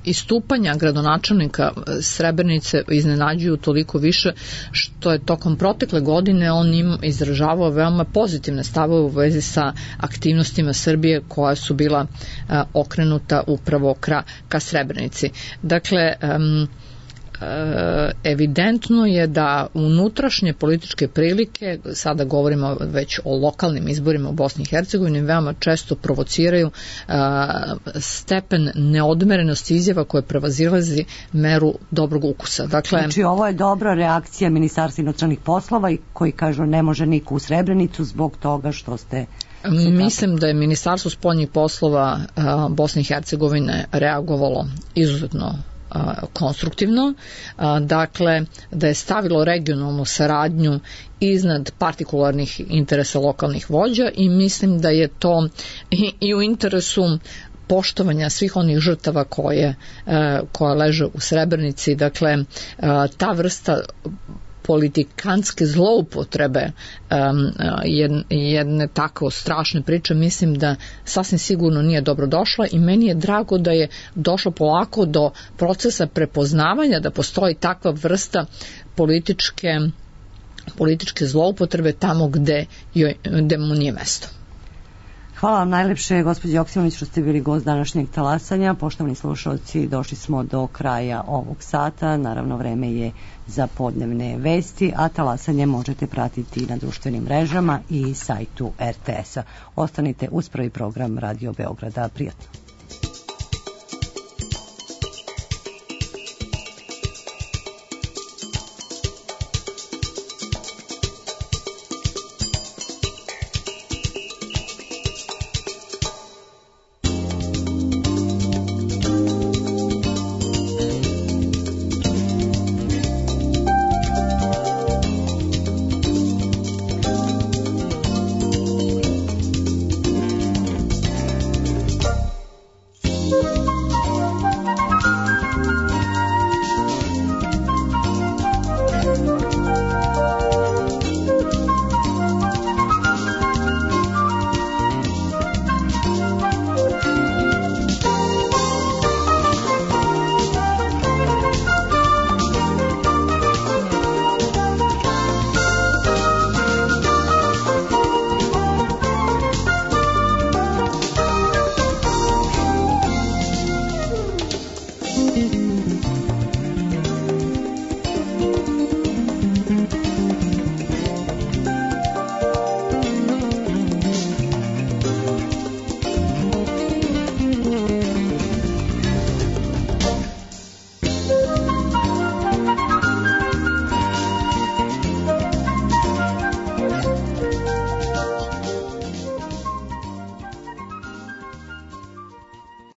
istupanja gradonačelnika Srebrenice iznenađuju toliko više što je tokom protekle godine on im izražavao veoma pozitivne stavove u vezi sa aktivnostima Srbije koja su bila okrenuta upravo ka Srebrenici. Dakle, evidentno je da unutrašnje političke prilike, sada govorimo već o lokalnim izborima u Bosni i Hercegovini, veoma često provociraju stepen neodmerenosti izjava koje prevazilazi meru dobrog ukusa. Dakle, znači, ovo je dobra reakcija Ministarstva inostranih poslova i koji kažu ne može niko u Srebrenicu zbog toga što ste... Mislim da je Ministarstvo spoljnih poslova Bosne i Hercegovine reagovalo izuzetno konstruktivno, dakle da je stavilo regionalnu saradnju iznad partikularnih interesa lokalnih vođa i mislim da je to i u interesu poštovanja svih onih žrtava koja leže u Srebrenici. Dakle, ta vrsta politikantske zloupotrebe jedne tako strašne priče, mislim da sasvim sigurno nije dobro došla i meni je drago da je došlo polako do procesa prepoznavanja da postoji takva vrsta političke zloupotrebe tamo gde mu nije mesto. Hvala vam najlepše, gospođo Joksimović, što ste bili gost današnjeg talasanja. Poštovani slušalci, došli smo do kraja ovog sata. Naravno, vreme je za podnevne vesti, a talasanje možete pratiti na društvenim mrežama i sajtu RTS-a. Ostanite uz prvi program Radio Beograda. Prijatno.